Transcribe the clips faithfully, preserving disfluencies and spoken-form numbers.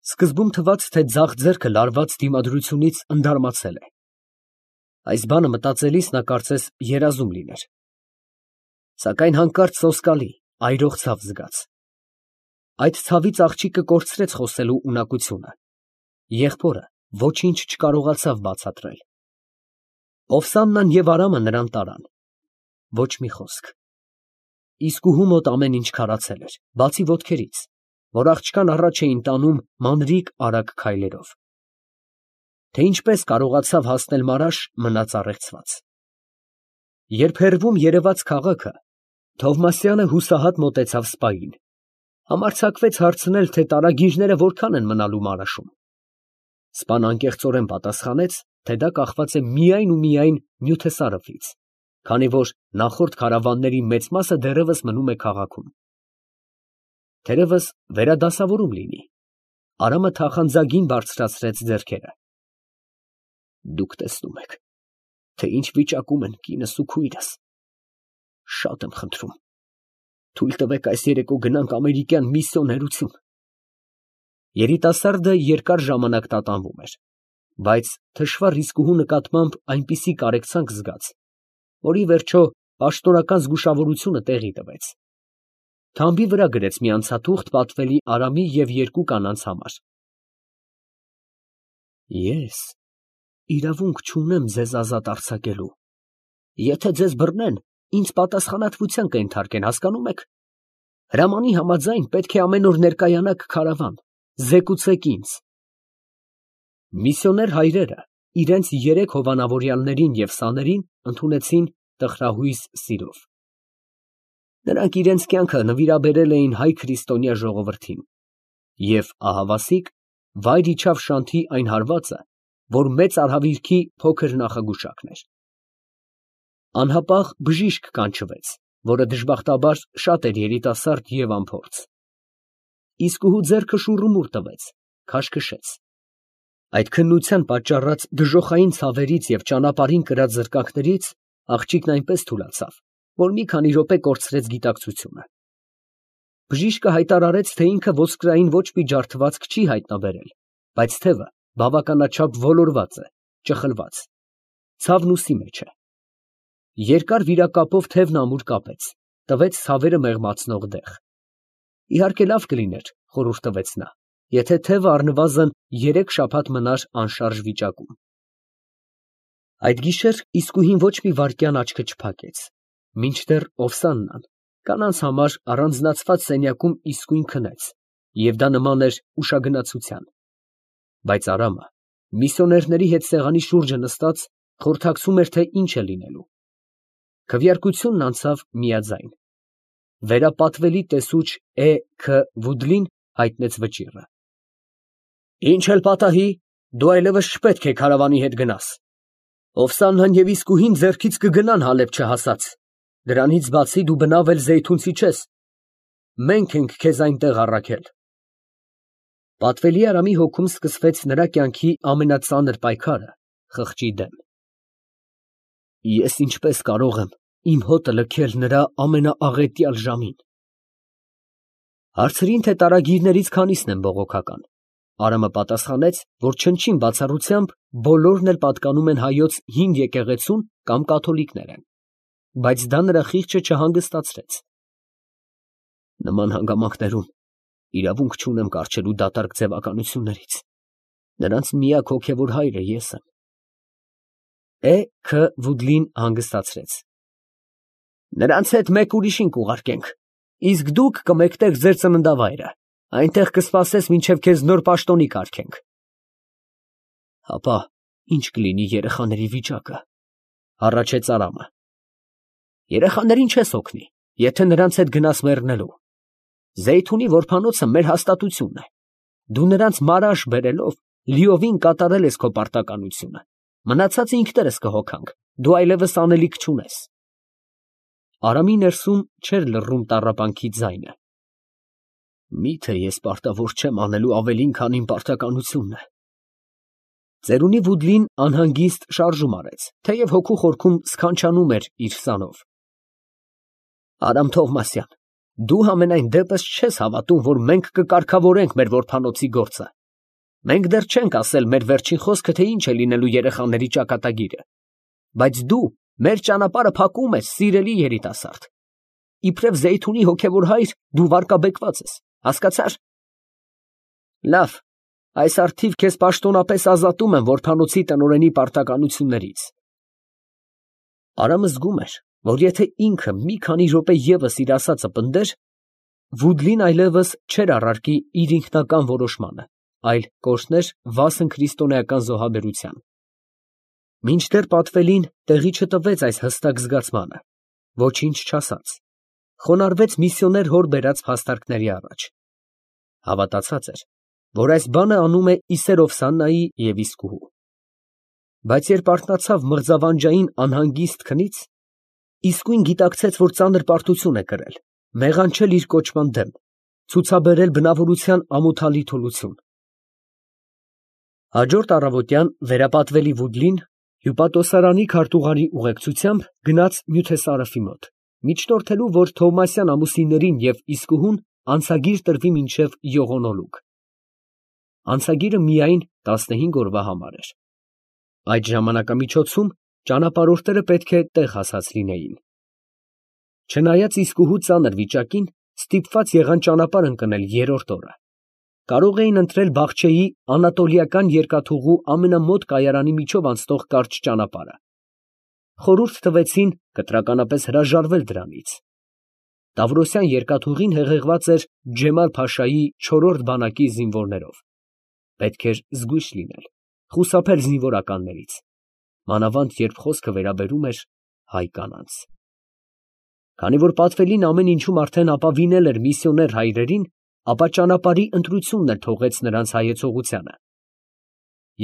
Սկզբում թվաց, թե ձախ ձեռքը լարված դիմադրությունից ընդարմացել է. այս բանը մտածելիս նա կարծես երազում լիներ. սակայն հանկարծ սոսկալի, այրող ցավ զգաց. այդ ցավից աղջիկը կորցրեց խոսելու ունակությունը, եղբորը ոչինչ չկարողացավ բացատրել. Օվսաննան և Արամը նրան տարան, ոչ մի խոսք. իսկուհու մոտ ամեն ինչ քարացել էր, բացի ոտքերից, որ աղջկան առաջ էին տանում մանրիկ արագ քայլերով. թե ինչպես կարողացավ հասնել Մարաշ, մնաց առեղծված. երբ հեռվում երևաց քաղաքը, Թովմասյանը հուսահատ մոտեցավ սպային, համարձակվեց հարցնել, թե տարագիրները որքան են մնալու Մարաշում. սպան անկեղծորեն պատասխանեց, թե դա կախված է միայն ու միայն նյութեսարևից, քանի որ նախորդ քարավանների մեծ մասը դեռևս մնում է քաղաքում. թերևս վերադասավորում լինի. Արամը թախանձագին բարձրացրեց ձեռքերը. դուք տեսնում եք, թե ինչ վիճակում են կինս ու քույրս. շատ եմ խնդրում, թույլ տվեք այս երեկո գնանք ամերիկյան միսիոներություն. երիտասարդը երկար ժամանակ տատանվում էր, բայց թշվառ իսկուհու նկատմամբ այնպիսի կարեկցանք զգաց, որ ի վերջո պաշտոնական զգուշավորությունը տեղի տվեց. թամբի վրա գրեց մի անցաթուղթ պատվելի Արամի և երկու կանանց համար. ես իրավունք չունեմ ձեզ ազատ արձակելու. եթե ձեզ բռնեն, ինձ պատասխանատվության կենթարկեն, հասկանում եք. հրամանի համաձայն պետք է ամեն օր ներկայանաք քարավան, զեկուցեք ինձ. Միսիոներ հայրերը իրենց երեք հովանավորյալներին և սաներին ընդունեցին տխրահույս սիրով. նրանք իրենց կյանքը նվիրաբերել էին հայ քրիստոնյա ժողովրդին, և ահավասիկ վայր իջավ Շանթի այն հարվածը, որ մեծ արհավիրքի փոքր նախագուշակն էր. անհապաղ բժիշկ կանչվեց, որը դժբախտաբար շատ էր երիտասարդ և անփորձ. իսկուհու ձեռքը շուռումուռ տվեց, քաշքշեց. այդ քննության պատճառած դժոխային ցավերից և ճանապարհին կրած զրկանքներից աղջիկն այնպես թուլացավ, որ մի քանի րոպե կորցրեց գիտակցությունը. բժիշկը հայտարարեց, թե ինքը ոսկրային ոչ մի ջարդվածք չի հայտնաբերել, բայց թևը բավականաչափ ոլորված է, ճխլված, ցավն ուսի մեջ է. երկար վիրակապով թևն ամուր կապեց, տվեց ցավերը մեղմացնող դեղ. իհարկե լավ կլիներ, խորհուրդ տվեց նա, եթե թևը առնվազն երեք շաբաթ մնար անշարժ վիճակում. այդ գիշեր իսկուհին ոչ մի վայրկյան աչքը չփակեց, մինչդեռ Օվսաննան կանանց համար առանձնացված սենյակում իսկույն քնեց, և դա նման էր ուշագնացության. բայց Արամը միսիոներների հետ սեղանի շուրջը նստած խորհրդակցում էր, թե ինչ է լինելու. քվեարկությունն անցավ միաձայն. վերապատվելի տեսուչ Է. Ք. Վուդլին հայտնեց վճիռը. ինչ էլ պատահի, դու այլևս չպետք է քարավանի հետ գնաս. Օվսաննան և իսկուհին ձեռքից կգնան Հալեբ չհասած, դրանից բացի դու բնավ էլ զեյթունցի չես, մենք ենք քեզ այնտեղ առաքել. պատվելի Արամի հոգում սկսվեց նրա կյանքի ամենածանր պայքարը խղճի դեմ. ես ինչպես կարող եմ իմ հոտը լքել նրա ամենաաղետյալ ժամին. հարցրին, թե տարագիրներից քանիսն են բողոքական. Արամը պատասխանեց, որ չնչին բացառությամբ բոլորն էլ պատկանում են հայոց հին եկեղեցուն կամ կաթոլիկներ են, բայց դա նրա խիղճը չհանգստացրեց. նման հանգամանքներում իրավունք չունեմ կառչելու դատարկ ձևականություններից, նրանց միակ հոգևոր հայրը ես եմ. Է. Ք. Վուդլին հանգստացրեց. նրանց հետ մեկ ուրիշին կուղարկենք, իսկ դուք կմեկնեք ձեր ծննդավայրը, այնտեղ կսպասես, մինչև քեզ նոր պաշտոնի կարգենք. հապա ի՞նչ կլինի երեխաների վիճակը, հառաչեց Արամը. երեխաներին չես օգնի, եթե նրանց հետ գնաս մեռնելու. Զեյթունի որբանոցը մեր հաստատությունն է, դու նրանց Մարաշ բերելով լիովին կատարել ես քո պարտականությունը, մնացածը ինքներս կհոգանք, դու այլևս անելիք չունես. Արամի ներսում չէր լռում տառապանքի ձայնը. միթե ես պարտավոր չեմ անելու ավելին, քան իմ պարտականությունն է. ծերունի Վուդլին անհանգիստ շարժում արեց, թեև հոգու խորքում սքանչանում էր իր սանով. Արամ Թովմասյան, դու համենայն դեպս չես հավատում, որ մենք կկարգավորենք մեր որբանոցի գործը, Մենք դեռ չենք ասել մեր վերջին խոսքը, թե ինչ է լինելու երեխաների ճակատագիրը, բայց դու մեր ճանապարհը փակում ես, սիրելի երիտասարդ։ Իբրև Զեյթունի հոգևոր հայր, դու վարկաբեկված ես, հասկացա՞ր։ Լավ, այս առթիվ քեզ պաշտոնապես ազատում եմ որբանոցի տնօրենի պարտականություններից։ Արամը զգում էր, որ եթե ինքը մի քանի րոպե ևս իր ասածը պնդեր, Վուդլին այլևս չէր առարկի իր ինքնական որոշմանը, այլ կորցներ վասն քրիստոնեական զոհաբերության։ Մինչդեռ պատվելին տեղի չտվեց այս հստակ զգացմանը, ոչինչ չասաց, խոնարհվեց միսիոներ հոր բերած փաստարկների առաջ։ Հավատացած էր, որ այս բանը անում է Իսերովսաննայի և իսկուհու։ Բայց երբ արթնացավ մղձավանջային անհանգիստ քնից, իսկույն գիտակցեց, որ ծանր պարտություն է կրել, մեղանչել իր կոչման դեմ, ցուցաբերել բնավորության ամոթալի թուլություն։ Հաջորդ առավոտյան վերապատվելի Վուդլին հյուպատոսարանի քարտուղարի ուղեկցությամբ գնաց Նյութեսարոֆի մոտ, միջնորդելու, որ Թովմասյան ամուսիններին և իսկուհուն անցագիր տրվի մինչև յողոնոլուկ։ Անցագիրը միայն տասնհինգ օրվա համար էր։ Այդ ժամանակամիջոցում ճանապարհորդները պետք է տեղ հասած լինեին։ Չնայած իսկուհու ծանր վիճակին, ստիպված եղան ճանապարհ ընկնել երրորդ օրը։ Կարող էին ընտրել Բախչեի անատոլիական երկաթուղու ամենամոտ կայարանի միջով անցնող կարճ ճանապարհը։ Խորհուրդ տվեցին կտրականապես հրաժարվել դրանից։ Տավրոսյան երկաթուղին հեղեղված էր Ջեմալ֊փաշայի չորրորդ բանակի զինվորներով։ Պետք էր զգույշ լինել, խուսափել զինվորականներից, մանավանդ երբ խոսքը վերաբերում էր հայ կանանց։ Քանի որ պատվելին ամեն ինչում արդեն ապավինել էր միսիոներ հայրերին, ապա ճանապարհի ընտրությունն էլ թողեց նրանց հայեցողությանը։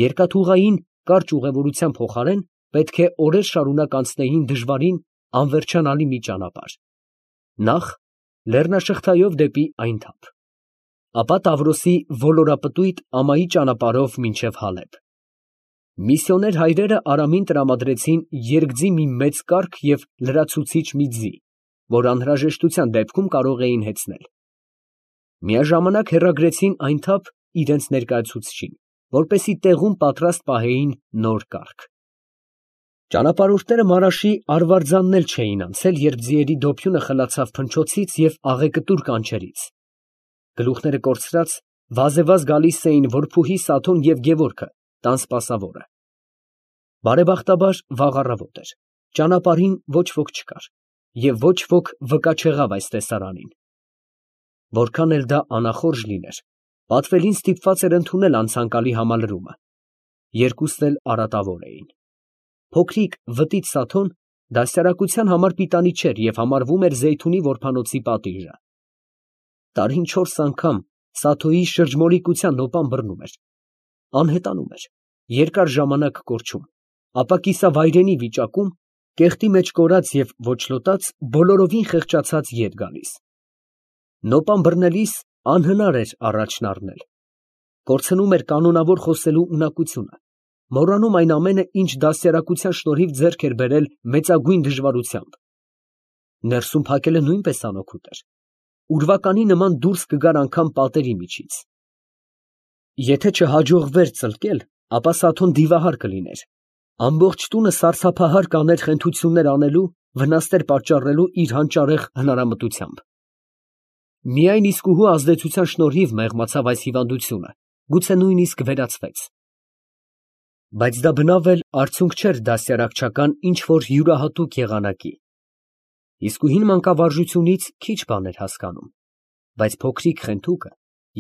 Երկաթուղային կարճ ուղևորության փոխարեն պետք է օրեր շարունակ անցնեին դժվարին, անվերջանալի մի ճանապարհ։ Նախ լեռնաշղթայով դեպի Այնթափ, ապա Տավրոսի ոլորապտույտ ամայի ճանապարհով մինչև Հալեբ։ Միսիոներ հայրերը Արամին տրամադրեցին երկձի մի մեծ կառք և լրացուցիչ մի ձի, որ անհրաժեշտության դեպքում կարող էին հեծնել։ Միաժամանակ հեռագրեցին Այնթափ իրենց ներկայացուցչին, որպեսզի տեղում պատրաստ պահեին նոր կառք։ Ճանապարհորդները Մարաշի արվարձանն էլ չէին անցել, երբ ձիերի դոփյունը խլացավ փնչոցից և աղեկտուր կանչերից։ Գլուխները կորցրած, վազեվազ գալիս էին որփուհի Սաթոն և Գևորգը, տան սպասավորը։ Բարեբախտաբար վաղ առավոտ էր, ճանապարհին ոչ ոք չկար, և ոչ ոք վկա չեղավ այս տեսարանին։ Որքան էլ դա անախորժ լիներ, պատվելին ստիպված էր ընդունել անցանկալի համալրումը։ Երկուսն էլ արատավոր էին։ Փոքրիկ վտիտ Սաթոն դաստիարակության համար պիտանի չէր և համարվում էր Զեյթունի որբանոցի պատիժը։ Տարին չորս անգամ Սաթոյի շրջմոլիկության նոպան բռնում էր, անհետանում էր, երկար ժամանակ կորչում, ապա կիսավայրենի վիճակում, կեղտի մեջ կորած և ոչլոտած, բոլորովին խեղճացած ետ գալիս։ Նոպան բռնելիս անհնար էր առաջն առնել։ Կորցնում էր կանոնավոր խոսելու ունակությունը, մոռանում այն ամենը, ինչ դաստիարակության շնորհիվ ձեռք էր բերել մեծագույն դժվարությամբ։ Ներսում փակելը նույնպես անօգուտ էր։ Ուրվականի նման դուրս կգար անգամ պատերի միջից։ Եթե չհաջողվեր ծլկել, ապա Սաթոն դիվահար կլիներ, ամբողջ տունը սարսափահար կաներ խենթություններ անելու, վնասներ պատճառելու իր հանճարեղ հնարամտությամբ։ Միայն իսկուհու ազդեցության շնորհիվ մեղմացավ այս հիվանդությունը, գուցե նույնիսկ վերացվեց։ Բայց դա բնավ էլ արդյունք չէր դաստիարակչական ինչ֊որ յուրահատուկ եղանակի։ Իսկուհին մանկավարժությունից քիչ բան էր հասկանում, բայց փոքրիկ Խենթուկը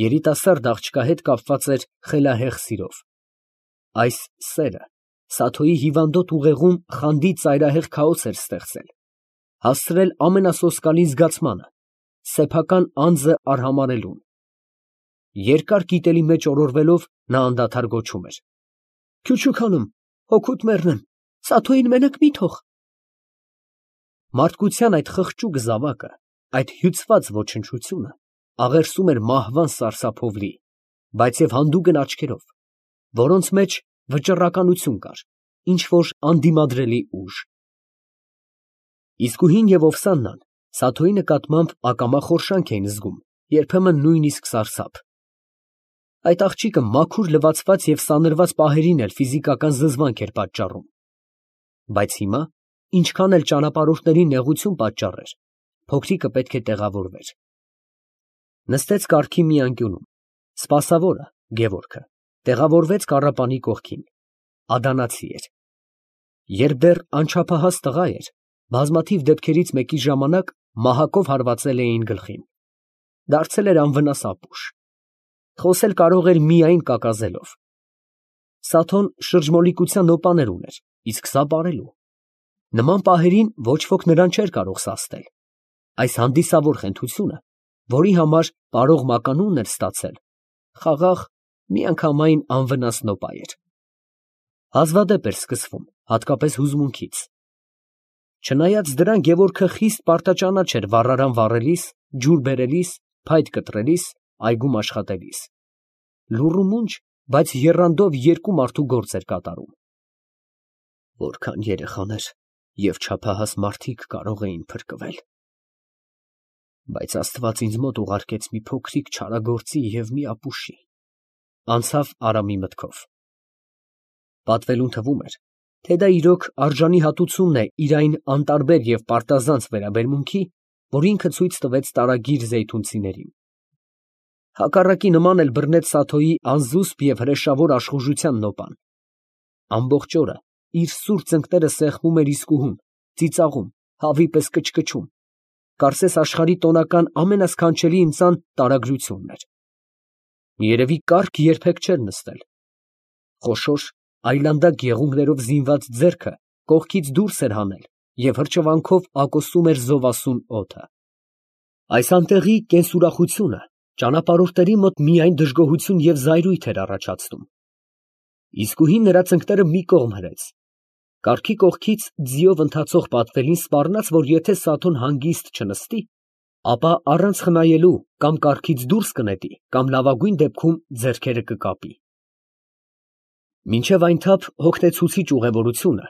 երիտասարդ աղջկա հետ կապված էր խելահեղ սիրով։ Այս սերը Սաթոյի հիվանդոտ ուղեղում խանդի ծայրահեղ քաոս էր ստեղծել, հասցրել ամենասոսկալի զգացմանը, սեփական անձը արհամարհելուն։ Երկար կիտելի մեջ օրորվելով նա անդադար գոչում էր. «Քյուչուք հանում, հոգուդ մեռնեմ, Սաթոյին մենակ մի թող»։ Մարդկության այդ խղճուկ զավակը, այդ հյուծված ոչնչությունը աղերսում էր մահվան սարսափով լի, բայց և հանդուգն աչքերով, որոնց մեջ վճռականություն կար, ինչ֊որ անդիմադրելի ուժ։ Իսկուհին ևՈվսաննան Սաթոյի նկատմամբ ակամա խորշանք էին զգում, երբեմն նույնիսկ սարսափ։ Այդ աղջիկը մաքուր լվացված և սանրված պահերին էլ ֆիզիկական զզվանք էր պատճառում, բայց հիմա, ինչքան էլ ճանապարհորդներին նեղություն պատճառեր, փոքրիկը պետք է տեղավորվեր։ Նստեց կառքի մի անկյունում, սպասավորը, Գևորգը, տեղավորվեց կառապանի կողքին, ադանացի էր։ Երբ դեռ անչափահաս տղա էր, բազմաթիվ դեպքերից մեկի ժամանակ մահակով հարվածել էին գլխին, դարձել էր անվնաս ապուշ, խոսել կարող էր միայն կակազելով։ Սաթոն շրջմոլիկության նոպաներ ուներ, իսկ սա պարելու։ Նման պահերին ոչ ոք նրան չէր կարող սաստել։ Այս հանդիսավոր խենթությունը, որի համար պարող մականունն էր ստացել, խաղաղ, միանգամայն անվնաս նոպա էր։ Հազվադեպ էր սկսվում, հատկապես հուզմունքից։ Չնայած դրան Գևորգը խիստ պարտաճանաչ էր վառարան վառելիս, ջուր բերելիս, փայտ կտրելիս, այգում աշխատելիս։ Լուռ ու մունջ, բայց եռանդով երկու մարդու գործ էր կատարում։ Որքան երեխաներ և չափահաս մարդիկ կարող էին փրկվել։ Բայց Աստված ինձ մոտ ուղարկեց մի փոքրիկ չարագործի և մի ապուշի, անցավ Արամի մտքով։ Պատվելուն թվում էր, թե դա իրոք արժանի հատուցումն է իր այն անտարբեր և պարտազանց վերաբերմունքի, որ ինքը ցույց տվեց տարագիր զեյթունցիներին։ Հակառակի նման էլ բռնեց Սաթոյի անզուսպ և հրեշավոր աշխուժության նոպան։ Ամբողջ օրը իր սուր ծնկները սեղմում էր իսկուհուն, ծիծաղում, հավի պես կչկչում, կարծես աշխարհի տոնական ամենասքանչելի ընծան տարագրությունն էր։ Երևի կառք երբեք չէր նստել։ Խոշոր, այլանդակ եղունգներով զինված ձեռքը կողքից դուրս էր հանել և հրճվանքով ակոսում էր զովասուն օդը։ Այս անտեղի կենսուրախությունը ճանապարհորդների մոտ միայն դժգոհություն և զայրույթ էր առաջացնում։ Իսկուհին նրա ծնկները մի կողմ հրեց։ Կառքի կողքից ձիով ընթացող պատվելին սպառնաց, որ եթե Սաթոն հանգիստ չնստի, ապա առանց խնայելու կամ կառքից դուրս կնետի, կամ լավագույն դեպքում ձեռքերը կկապի։ Մինչև այնթափ հոգնեցուցիչ ուղևորությունը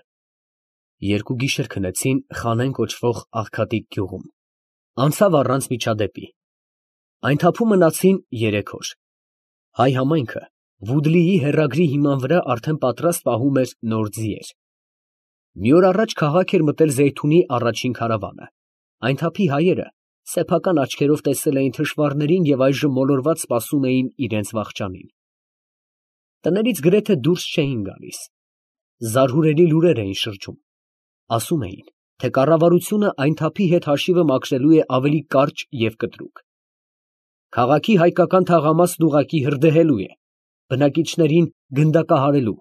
երկու գիշեր քնեցին Խանեն կոչվող աղքատիկ գյուղում, անցավ առանց միջադեպի։ Այնթափում մնացին երեք օր։ Հայ համայնքը Վուդլիի հեռագրի հիման վրա արդեն պատրաստ պահում էր նոր ձիեր։ Մի օր առաջ քաղաք էր մտել Զեյթունի առաջին քարավանը։ Այնթափի հայերը սեփական աչքերով տեսել էին թշվառներին և այժմ մոլորված սպասում էին իրենց վախճանին։ Տներից գրեթե դուրս չէին գալիս։ Զարհուրելի լուրեր էին շրջում։ Ասում էին, թե կառավարությունը Այնթափի հետ հաշիվը մաքրելու է ավելի կարճ և կտրուկ։ Քաղաքի հայկական թաղամասն ուղղակի հրդեհելու է, բնակիչներին գնդակահարելու։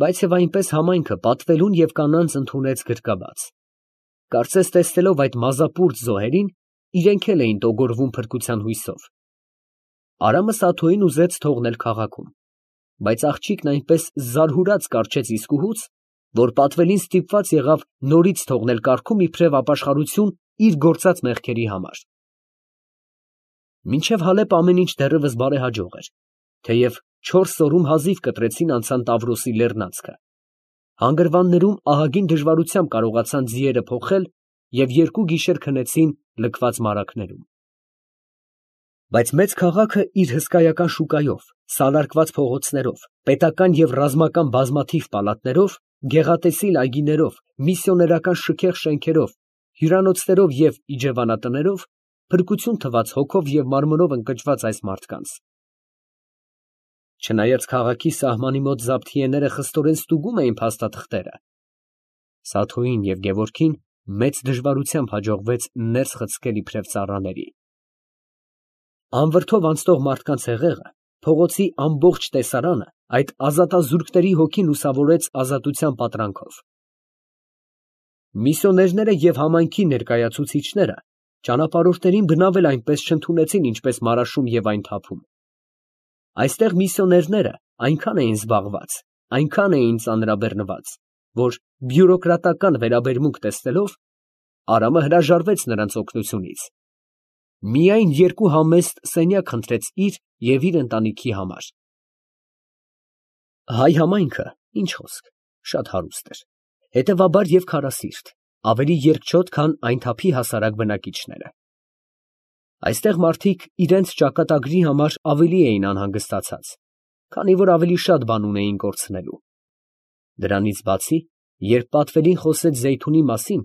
Բայց և այնպես համայնքը պատվելուն և կանանց ընդունեց գրկաբաց։ Կարծես տեսնելով այդ մազապուրծ զոհերին, իրենք էլ էին տոգորվում փրկության հույսով։ Արամը Սաթոյին ուզեց թողնել քաղաքում, բայց աղջիկն այնպես զարհուրած կառչեց իսկուհուց, որ պատվելին ստիպված եղավ նորից թողնել կառքում իբրև ապաշխարություն իր գործած մեղքերի համար։ Մինչև Հալեպ ամեն ինչ դեռևս բարեհաջող էր, թեև չորս օրում հազիվ կտրեցին անցան Տավրոսի լեռնանցքը։ Հանգրվաններում ահագին դժվարությամբ կարողացան ձիերը փոխել և երկու գիշեր քնեցին լքված մարագներում։ Բայց մեծ քաղաքը իր հսկայական շուկայով, սալարկված փողոցներով, պետական և ռազմական բազմաթիվ պալատներով, գեղատեսիլ այգիներով, միսիոներական շքեղ շենքերով, հյուրանոցներով և իջևանատներով փրկություն թվաց հոգով և մարմնով ընկճված այս մարդկանց։ Չնայած քաղաքի սահմանի մոտ զաբթիեները խստորեն ստուգում էին փաստաթղթերը, Սաթոյին և Գևորգին մեծ դժվարությամբ հաջողվեց ներս խցկել իբրև ծառաների։ Անվրդով անցնող մարդկանց հեղեղը, փողոցի ամբողջ տեսարանը այդ ազատազուրկների հոգին լուսավորեց ազատության պատրանքով։ Միսիոներները և համայնքի ներկայացուցիչները ճանապարհորդներին բնավ էլ այնպես չընդունեցին, ինչպես Մարաշում և Այնթափում։ Այստեղ միսիոներները այնքան էին զբաղված, այնքան էին ծանրաբեռնված, որ բյուրոկրատական վերաբերմունք տեսնելով, Արամը հրաժարվեց նրանց օգնությունից։ Միայն երկու համեստ սենյակ խնդրեց իր և իր ընտանիքի համար։ Հայ համայնքը, ինչ խոսք, շատ հարուստ էր, հետևաբար և քարասիրտ, ավելի երկչոտ, քան Այնթափի հասարակ բնակիչները։ Այստեղ մարդիկ իրենց ճակատագրի համար ավելի էին անհանգստացած, քանի որ ավելի շատ բան ունեին կորցնելու։ Դրանից բացի, երբ Պատվելին խոսեց Զեյթունի մասին,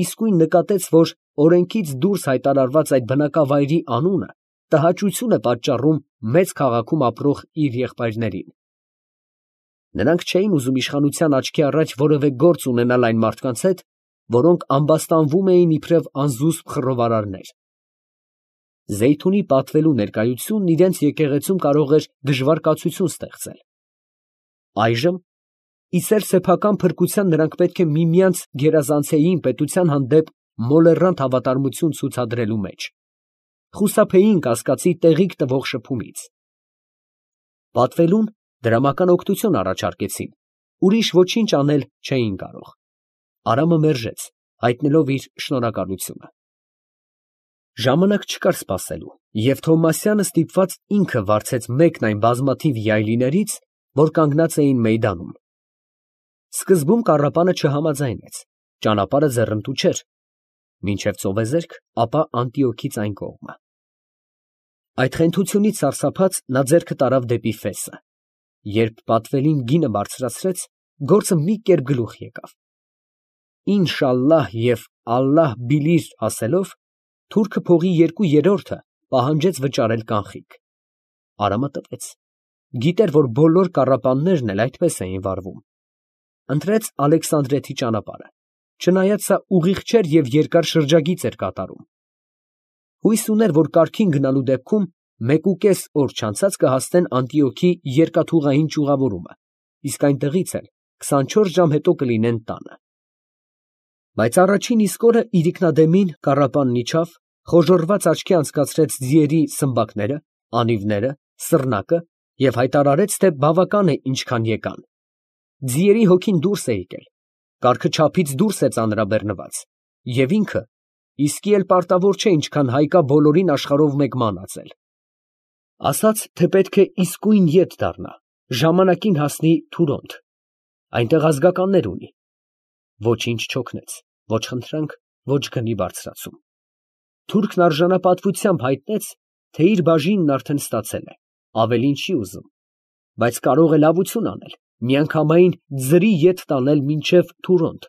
իսկույն նկատեց, որ օրենքից դուրս հայտարարված այդ բնակավայրի անունը տհաճություն է պատճառում մեծ քաղաքում ապրող իր եղբայրներին։ Նրանք չէին ուզում իշխանության աչքի առաջ որևէ գործ ունենալ այն մարդկանց հետ, որոնք ամբաստանվում էին իբրև անզուսպ խռովարարներ։ Զեյթունի պատվելու ներկայությունն իրենց եկեղեցում կարող էր դժվար կացություն ստեղծել։ Այժմ, ի սեր-սեփական փրկության նրանք պետք է միմյանց գերազանցեին պետության հանդեպ մոլեռանդ հավատարմություն ցուցադրելու մեջ, խուսափեին կասկածի տեղիք տվող շփումից։ Պատվելուն դրամական օգնություն առաջարկեցին, ուրիշ ոչինչ անել չէին կարող։ Արամը մերժեց, հայտնելով իր շնորհակալությունը։ Ժամանակ չկար սպասելու, և Թովմասյանը ստիպված ինքը վարձեց մեկն այն բազմաթիվ յայլիներից, որ կանգնած էին մեյդանում։ Սկզբում կառապանը չհամաձայնեց, ճանապարհը ձեռնտու չէր, մինչև ծովեզերք, ապա Անտիոքից այն կողմը։ Այդ խենթությունից սարսափած նա ձեռքը տարավ դեպի Ֆեսը։ Երբ Պատվելին գինը բարձրացրեց, գործը մի կերպ գլուխ եկավ։ Ինշալլահ և ալլահ բիլիր ասելով, թուրքը փողի երկու երրորդը պահանջեց վճարել կանխիկ։ Արամը տվեց։ Գիտեր, որ բոլոր կառապաններն էլ այդպես էին վարվում։ Ընտրեց Ալեքսանդրեթի ճանապարհը, չնայած սա ուղիղ չէր և երկար շրջագիծ էր կատարում։ Հույս ուներ, որ կարգին գնալու դեպքում մեկուկես օր չանցած կհասնեն Անտիոքի երկաթուղային ճյուղավորումը, իսկ այնտեղից էլ քսանչորս ժամ հետո կլինեն տանը։ Բայց առաջին իսկ օրը իրիկնադեմին կառապանն իջավ, խոժոռված աչքի անցկացրեց ձիերի սմբակները, անիվները, սռնակը և հայտարարեց, թե բավական է ինչքան եկան։ Ձիերի հոգին դուրս է եկել, կառքը չափից դուրս է ծանրաբեռնված, և ինքը իսկի էլ պարտավոր չէ ինչքան հայկա բոլորին աշխարհով մեկ մանածել։ Ասաց, թե պետք է իսկույն ետ դառնա, ժամանակին հասնի Թուրոնդ, այնտեղ ազգականներ ունի։ Ոչինչ չօգնեց, ոչ խնդրանք, ոչ գնի բարձրացում։ Թուրքն արժանապատվությամբ հայտնեց, թե իր բաժինն արդեն ստացել է, ավելին չի ուզում, բայց կարող է լավություն անել, միանգամայն ձրի ետ տանել մինչև Թուրոնդ,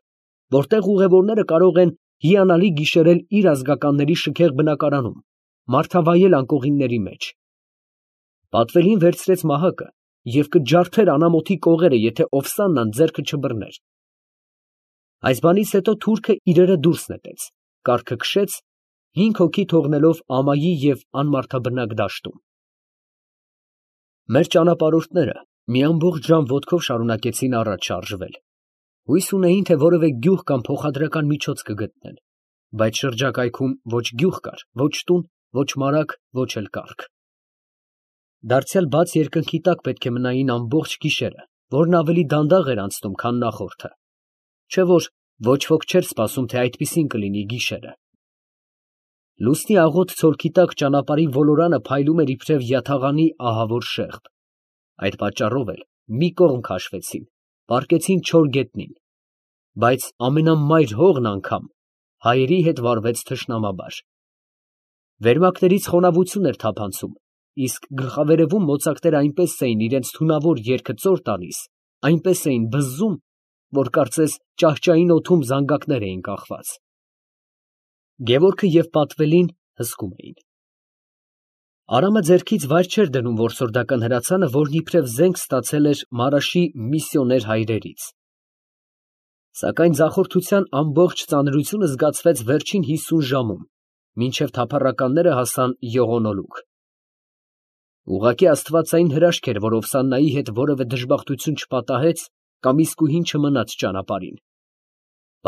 որտեղ ուղևորները կարող են հիանալի գիշերել իր ազգականների շքեղ բնակարանում, մարդավայել անկողինների մեջ։ Պատվելին վերցրեց մահակը և կջարդեր անամոթի կողերը, եթե Օվսաննան ձեռքը չբռներ։ Այս բանից հետո թուրքը իրերը դուրս նետեց, կառքը քշեց, հինգ հոգի թողնելով ամայի և անմարդաբնակ դաշտում։ Մեր ճանապարհորդները մի ամբողջ ժամ ոտքով շարունակեցին առաջ շարժվել, հույս ունեին, թե որևէ գյուղ կամ փոխադրական միջոց կգտնեն, բայց շրջակայքում ոչ գյուղ կար, ոչ տուն, ոչ մարագ, ոչ էլ կառք։ Դարձյալ բաց երկնքի տակ պետք է մնային ամբողջ գիշերը, որն ավելի դանդաղ էր անցնում, քան նախորդը, չէ՞ որ ոչ ոք չէր սպասում, թե այդպիսին կլինի գիշերը։ Լուսնի աղոտ ցոլքի տակ ճանապարհի ոլորանը փայլում էր իբրև յաթաղանի ահավոր շեղբ։ Այդ պատճառով էլ մի կողմ քաշվեցին, պառկեցին չոր գետնին, բայց ամենամայր հողն անգամ հայերի հետ վարվեց թշնամաբար։ Վերմակներից խոնավություն էր թափանցում, իսկ գլխավերևում մոծակները այնպես էին իրենց թունավոր երգը ծոր տալիս, այնպես էին բզզում, որ կարծես ճահճային օդում զանգակներ էին կախված։ Գևորգը և Պատվելին հսկում էին։ Արամը ձեռքից վայր չէր դնում որսորդական հրացանը, որն իբրև զենք ստացել էր Մարաշի միսիոներ հայրերից։ Սակայն ձախորդության ամբողջ ծանրությունը զգացվեց վերջին հիսուն ժամում, մինչև թափառականները հասան Յողոնոլուկ։ Ուղղակի աստվածային հրաշք էր, որ Օվսաննայի հետ որևէ դժբախտություն չպատահեց կամ իսկույն չմնաց ճանապարհին։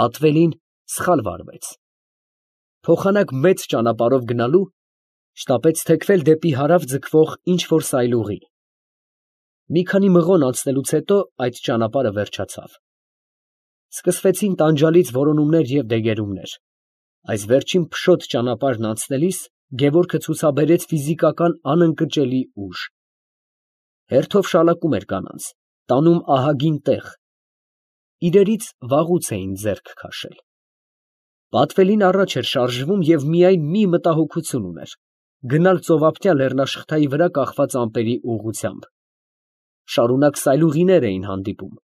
Պատվելին սխալ վարվեց։ Փոխանակ մեծ ճանապարհով գնալու շտապեց թեքվել դեպի հարավ ձգվող ինչ֊որ սայլուղի։ Մի քանի մղոն անցնելուց հետո այդ ճանապարհը վերջացավ։ Սկսվեցին տանջալից որոնումներ և դեգերումներ։ Այս վերջին փշոտ ճանապարհն անցնելիս Գևորգը ցուցաբերեց ֆիզիկական անընկճելի ուժ։ Հերթով շալակում էր կանանց, տանում ահագին տեղ, իրերից վաղուց էին ձեռք քաշել։ Պատվելին առաջ էր շարժվում և միայն մի մտահոգություն ուներ, գնալ ծովափնյա լեռնաշղթայի վրա կախված ամպերի ուղղությամբ. շարունակ սայլուղիներ էին հանդիպում.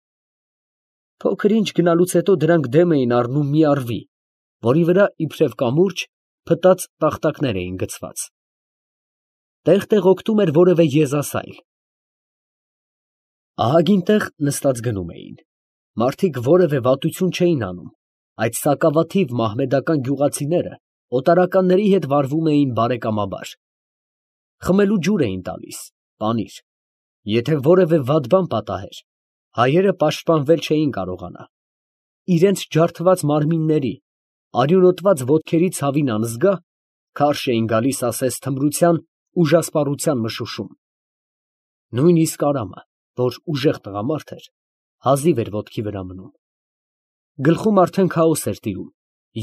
փոքր ինչ գնալուց հետո դրանք դեմ էին առնում մի առվի, որի վրա իբրև կամուրջ փտած տախտակներ էին գցված. տեղ֊տեղ օգտում էր որևէ եզասայլ. ահագին տեղ նստած գնում էին. մարդիկ որևէ վատություն չէին անում, այդ սակավաթիվ մահմեդական գյուղացիները օտարականների հետ վարվում էին բարեկամաբար. խմելու ջուր էին տալիս, պանիր. եթե որևէ վատ բան պատահեր, հայերը պաշտպանվել չէին կարողանա. իրենց ջարդված մարմինների, արյունոտված ոտքերի ցավին անզգա, քարշ էին գալիս ասես թմրության, ուժասպառության մշուշում. նույնիսկ Արամը, որ ուժեղ տղամարդ էր, հազիվ էր ոտքի վրա մնում. գլխում արդեն քաոս էր տիրում,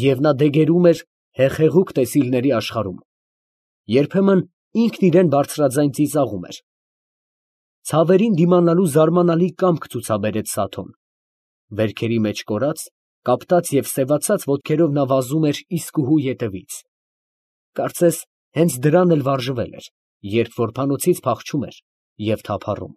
և նա դեգերում էր հեղեղուկ տեսիլների աշխարհում. երբեմն ինքն իրան բարձրաձայն ծիծաղում էր. ցավերին դիմանալու զարմանալի կամք ցուցաբերեց Սաթոն. վերքերի մեջ կորած, կապտած և սևացած ոտքերով նա վազում էր իսկուհու ետևից. կարծես հենց դրան էլ վարժվել էր, երբ որբանոցից փախչում էր և թափառում։